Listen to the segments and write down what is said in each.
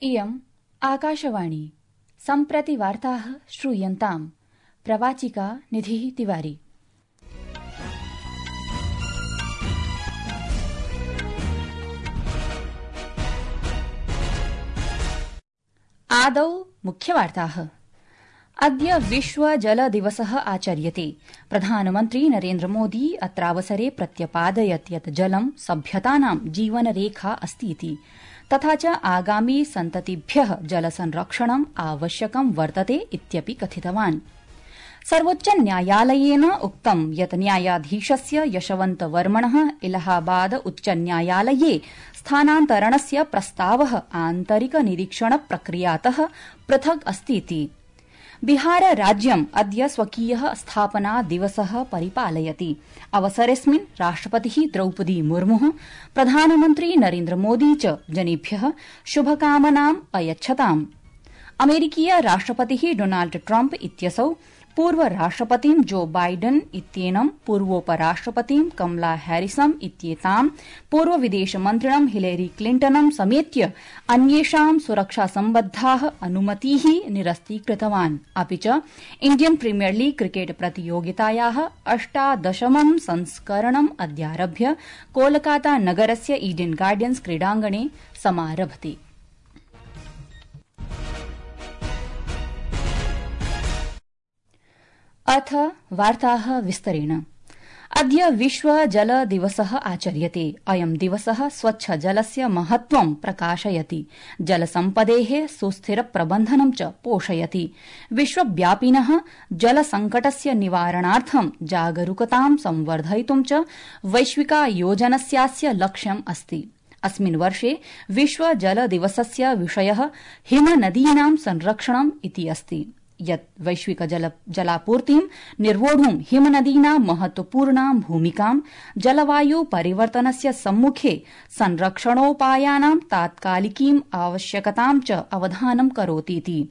इयम् आकाशवाणी सम्प्रति वार्ताः श्रूयन्ताम्। प्रवाचिका निधिः तिवारी। आदौ मुख्यवार्ताः। अद्य विश्व जल दिवसः आचर्यते। प्रधानमन्त्री नरेन्द्र मोदी अत्रावसरे प्रत्यपादयत् यत् जलं सभ्यतानां जीवनरेखा अस्तीति, तथा च आगामी सन्ततिभ्यः जलसंरक्षणम् आवश्यकं वर्तते इत्यपि कथितवान्। सर्वोच्च न्यायालयेन उक्तं यत् न्यायाधीशस्य यशवन्तवर्मणः इलाहाबाद उच्च न्यायालये स्थानान्तरणस्य प्रस्तावः आन्तरिक निरीक्षण प्रक्रियातः पृथक् अस्तीति। बिहार राज्यम् अद्य स्वकीयः स्थापना दिवसः परिपालयति। अवसरेऽस्मिन् राष्ट्रपतिः द्रौपदी मुर्मुः, प्रधानमन्त्री नरेन्द्र मोदी च जनेभ्यः शुभकामनाम् अयच्छताम्। अमेरिकीय राष्ट्रपतिः डोनाल्ड ट्रम्प इत्यसौ पूर्व राष्ट्रपतिं जो बाइडन इत्येनं, पूर्वोपराष्ट्रपतिं कमला हैरिसम् इत्येतां, पूर्व विदेशमन्त्रिणं हिलेरी क्लिंटनं समेत्य अन्येषां सुरक्षासम्बद्धाः अनुमतीः निरस्तीकृतवान्। अपि च इण्डियन प्रीमियर लीग क्रिकेट प्रतियोगितायाः 18 संस्करणम् अद्यारभ्य कोलकाता नगरस्य ईडन गार्डन्स क्रीडाङ्गणे समारभते। अथ वार्ताः विस्तरेण। अद्य विश्व जल दिवसः आचर्यते। अयं दिवसः स्वच्छ जलस्य महत्त्वं प्रकाशयति, जलसम्पदेः सुस्थिर प्रबन्धनं च पोषयति। विश्वव्यापिनः जलसङ्कटस्य निवारणार्थं जागरूकतां संवर्धयितुं च वैश्विकायोजनस्यास्य लक्ष्यम् अस्ति। अस्मिन् वर्षे विश्व जल दिवसस्य विषयः हिमनदीनां संरक्षणम् इति अस्ति, यत् वैश्विक जलापूर्तिं निर्वोढुं हिमनदीनां महत्वपूर्णां भूमिकां, जलवायु परिवर्तनस्य सम्मुखे संरक्षणोपायानां तात्कालिकीम् आवश्यकतां च अवधानं करोतीति।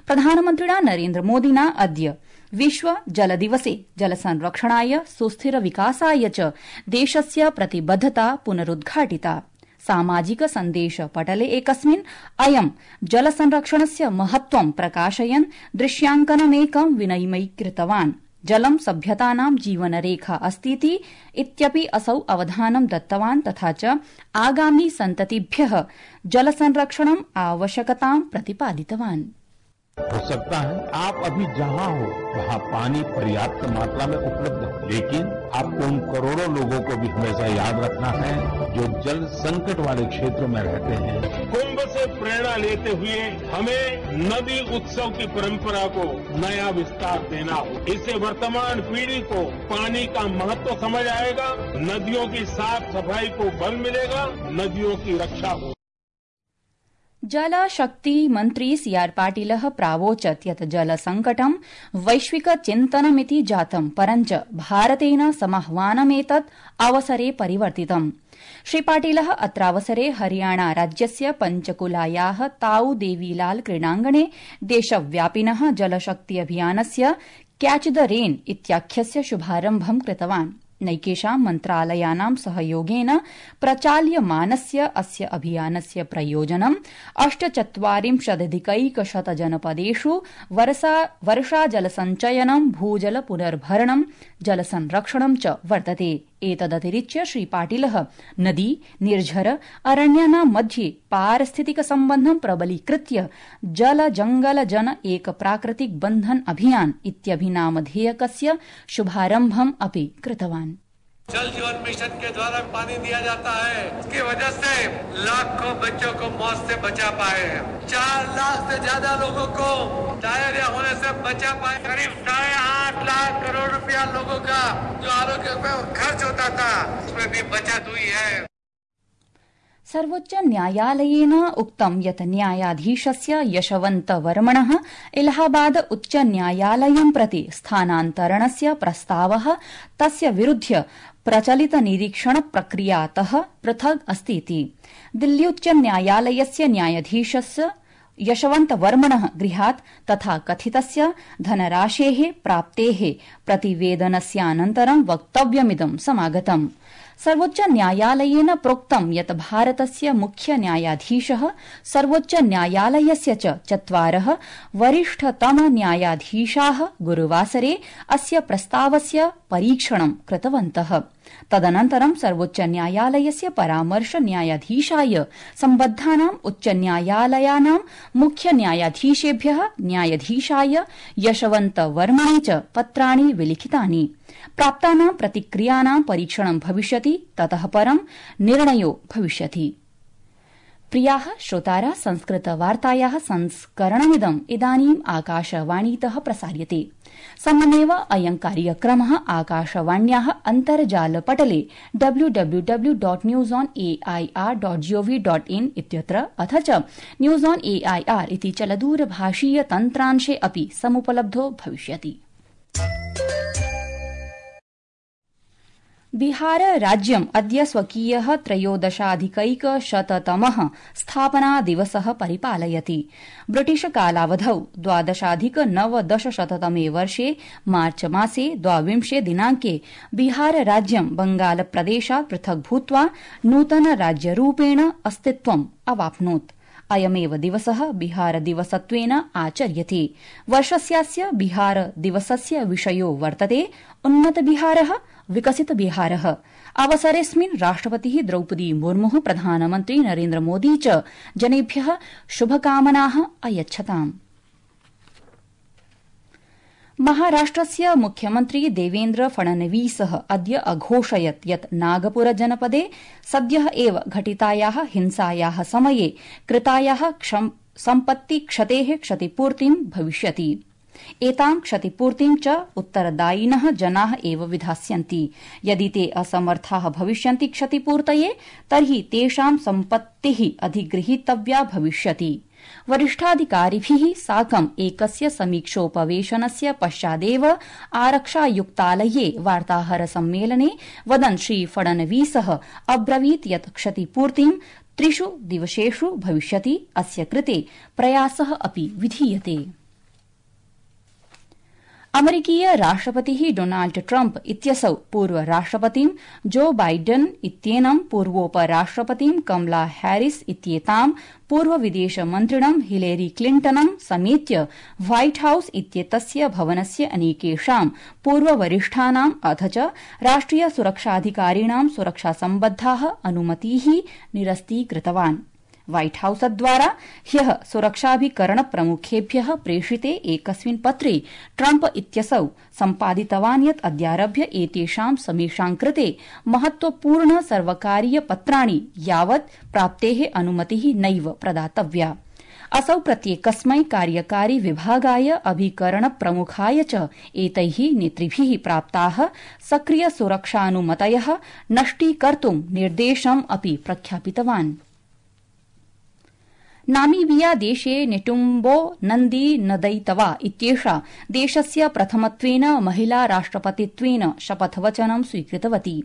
प्रधानमन्त्रिणा नरेन्द्र मोदिना अद्य विश्व जल दिवसे जलसंरक्षणाय, सुस्थिर विकासाय च देशस्य प्रतिबद्धता पुनरुद्घाटिता। सामाजिक सन्देश पटले एकस्मिन् अयं जलसंरक्षणस्य महत्त्वं प्रकाशयन् दृश्याङ्कनमेकं विनिमयीकृतवान्। जलं सभ्यतानां जीवनरेखा अस्तीति इत्यपि असौ अवधानं दत्तवान्, तथा च आगामी सन्ततिभ्यः जलसंरक्षणम् आवश्यकतां प्रतिपादितवान्। हो सकता है आप अभी जहां हो वहां पानी पर्याप्त मात्रा में उपलब्ध है, लेकिन आपको उन करोड़ों लोगों को भी हमेशा याद रखना है जो जल संकट वाले क्षेत्रों में रहते हैं। कुंभ से प्रेरणा लेते हुए हमें नदी उत्सव की परंपरा को नया विस्तार देना हो। इससे वर्तमान पीढ़ी को पानी का महत्व समझ आएगा, नदियों की साफ सफाई को बल मिलेगा, नदियों की रक्षा हो। जल शक्ति मन्त्री सीआर पाटिलः प्रावोचत् यत् जलसङ्कटं वैश्विक चिन्तनमिति जातं, परञ्च भारतेन समाह्वानमेतत् अवसरे परिवर्तितम्। श्री पाटिलः अत्रावसरे हरियाणा राज्यस्य पंचकुलायाः ताऊ देवीलाल क्रीडाङ्गणे देशव्यापिनः जलशक्ति अभियानस्य कैच द रेन इत्याख्यस्य शुभारम्भं कृतवान्। नैकेषां मन्त्रालयानां सहयोगेन प्रचाल्यमानस्य अस्य अभियानस्य प्रयोजनं 48,000 जनपदेषु वर्षाजलसञ्चयनं, भूजल पुनर्भरणं, जलसंरक्षणं च वर्तते। एतदतिरिच्य श्री पाटिलः नदी, निर्झर, अरण्यानां मध्ये पारिस्थितिक सम्बन्धं प्रबलीकृत्य जल जंगल जन एक प्राकृतिक बंधन अभियान इत्यभिनामधेयकस्य शुभारम्भम् अपि कृतवान्। जल जीवन मिशन के द्वारा पानी दिया जाता है, इसकी वजह से लाखों बच्चों को मौत से बचा पाए हैं। 4 लाख से ज्यादा लोगों को डायरिया होने से बचा पाए। करीब 8.5 लाख करोड़ रुपया लोगों का जो आरोग्य पे खर्च होता था, उसमें भी बचत हुई है। सर्वोच्च न्यायालयेन उक्तं यत् न्यायाधीशस्य यशवन्तवर्मणः इलाहाबाद उच्च न्यायालयं प्रति स्थानान्तरणस्य प्रस्तावः तस्य विरुध्य प्रचलित निरीक्षण प्रक्रियातः पृथक् अस्तीति। दिल्ली उच्च न्यायालयस्य न्यायाधीशस्य यशवन्तवर्मणः गृहात् तथा कथितस्य धनराशेः प्राप्तेः प्रतिवेदनस्यानन्तरं वक्तव्यमिदं समागतम्। सर्वोच्च न्यायालयेन प्रोक्तं यत् भारतस्य मुख्य न्यायाधीशः सर्वोच्च न्यायालयस्य च 4 वरिष्ठतम न्यायाधीशाः गुरुवासरे अस्य प्रस्तावस्य परीक्षणं कृतवन्तः। तदनन्तरं सर्वोच्च न्यायालयस्य परामर्श न्यायाधीशाय सम्बद्धानां उच्च न्यायालयानां मुख्य न्यायाधीशेभ्यः न्यायाधीशाय यशवन्त वर्मणे च पत्राणि विलिखितानि। प्राप्तानां प्रतिक्रियाणां परीक्षणं भविष्यति, ततः परं निर्णयो भविष्यति। प्रियाः श्रोतारः, संस्कृतवार्तायाः संस्करणमिदम् इदानीम् आकाशवाणीतः प्रसार्यते। सममेव अयं कार्यक्रमः आकाशवाण्याः अन्तर्जालपटले www.newsonair.gov.in इत्यत्र अथ च न्यूज ऑन एआईआर इति चलदूरभाषीय तन्त्रांशे अपि समुपलब्धो भविष्यति। बिहार राज्यम् अद्य स्वकीयः 13,100तमः स्थापना दिवसः परिपालयति। ब्रिटिश कालावधौ 12,990तमे वर्षे मार्च मासे 22 दिनाङ्के बिहार राज्यं बंगालप्रदेशात् पृथक् भूत्वा नूतन राज्यरूपेण अस्तित्वम् अवाप्नोत्। अयमेव दिवसः बिहार दिवसत्वेन आचर्यते। वर्षस्यास्य बिहार दिवसस्य विषयो वर्तते उन्नत बिहारः, विकसित बिहारः। अवसरेऽस्मिन् राष्ट्रपतिः द्रौपदी मुर्मुः, प्रधानमन्त्री नरेन्द्र मोदी च जनेभ्यः शुभकामनाः अयच्छताम्। महाराष्ट्रस्य मुख्यमन्त्री देवेन्द्र फडणवीसः अद्य अघोषयत् यत् नागपुर जनपदे सद्यः एव घटितायाः हिंसायाः समये कृतायाः सम्पत्तिक्षतेः क्षतिपूर्तिं भविष्यति। एतां क्षतिपूर्तिं च उत्तरदायिनः जनाः एव विधास्यन्ति। यदि ते असमर्थाः भविष्यन्ति क्षतिपूर्तये, तर्हि तेषां सम्पत्तिः अधिगृहीतव्या भविष्यति। वरिष्ठाधिकारिभिः साकम् एकस्य समीक्षोपवेशनस्य पश्चादेव आरक्षायुक्तालये वार्ताहर सम्मेलने वदन् श्री फडणवीसः अब्रवीत् यत् क्षतिपूर्तिं 3 दिवसेषु भविष्यति। अस्य कृते प्रयासः अपि विधीयते। अमेरिकीय राष्ट्रपतिः डोनाल्ड ट्रम्प इत्यसौ पूर्व राष्ट्रपतिं जो बाइडन इत्येनं, पूर्वोपराष्ट्रपतिं कमला हैरिस इत्येतां, पूर्व विदेशमन्त्रिणं हिलेरी क्लिंटनं समेत्य व्हाइट हाउस इत्येतस्य भवनस्य अनेकेषां पूर्ववरिष्ठानाम् अथ च राष्ट्रिय सुरक्षाधिकारिणां सुरक्षासम्बद्धाः अनुमतीः निरस्तीकृतवान्। व्हाइट हाउसद्वारा ह्यः सुरक्षाभिकरणप्रमुखेभ्यः प्रेषिते एकस्मिन् पत्रे ट्रम्प इत्यसौ सम्पादितवान् यत् अद्यारभ्य एतेषां समेषां कृते महत्वपूर्ण सर्वकारीय पत्राणि यावत् प्राप्तेः अनुमतिः नैव प्रदातव्या। असौ प्रत्येकस्मै कार्यकारी विभागाय, अभिकरणप्रमुखाय च एतैः नेतृभिः प्राप्ताः सक्रिय सुरक्षानुमतयः नष्टीकर्तुं निर्देशम् अपि प्रख्यापितवान्। नामीबिया देशे नेटुम्बो नन्दी नदैतवा इत्येषा देशस्य प्रथमत्वेन महिला राष्ट्रपतित्वेन शपथवचनं स्वीकृतवती।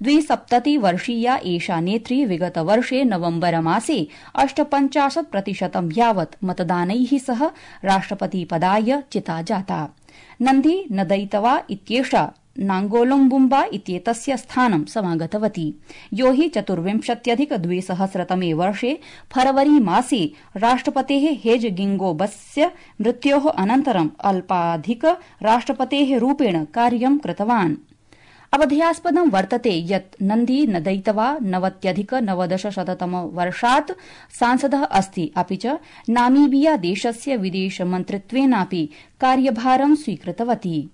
72-वर्षीया एषा नेत्री विगतवर्षे नवम्बरमासे 58% यावत् मतदानैः सह राष्ट्रपतिपदाय चिता जाता। नन्दी नदैतवा इत्येषा नांगोलुम्बुम्बा इत्येतस्य स्थानं समागतवती, यो हि 24,200तमे वर्षे फरवरी मासे राष्ट्रपतेः हेज गिंगोबस्य मृत्योः अनन्तरं अल्पाधिक राष्ट्रपतेः रूपेण कार्यं कृतवान्। अवधेयास्पदं वर्तते यत् नन्दी नदैतवा 90,990 सांसदः अस्ति, अपि च नामीबिया देशस्य विदेशमन्त्रित्वेनापि कार्यभारं स्वीकृतवती।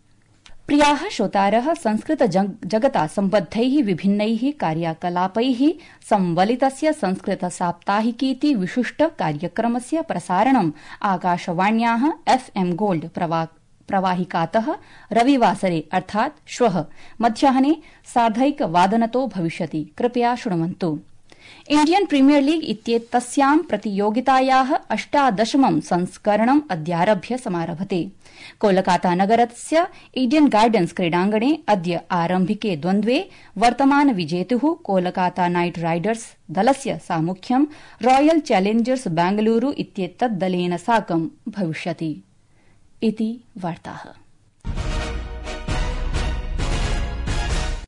प्रियाः श्रोतारः, संस्कृत जगता सम्बद्धैः विभिन्नैः कार्याकलापैः संवलितस्य संस्कृत साप्ताहिकीति विशिष्ट कार्यक्रमस्य प्रसारणम् आकाशवाण्याः FM गोल्ड प्रवाहिकातः रविवासरे अर्थात् श्वः मध्याह्ने 1:30 भविष्यति। कृपया शृण्वन्तु। इण्डियन प्रीमियर लीग इत्येतस्यां प्रतियोगितायाः 18मं संस्करणम् अद्यारभ्य समारभते। कोलकाता नगरस्य ईडन गार्डन्स क्रीडाङ्गणे अद्य आरम्भिके द्वन्द्वे वर्तमान विजेतुः कोलकाता नाइट राइडर्स दलस्य सामुख्यं रॉयल चैलेंजर्स बेंगलुरू इत्येतद्दलेन साकं भविष्यति। इति वार्ताः।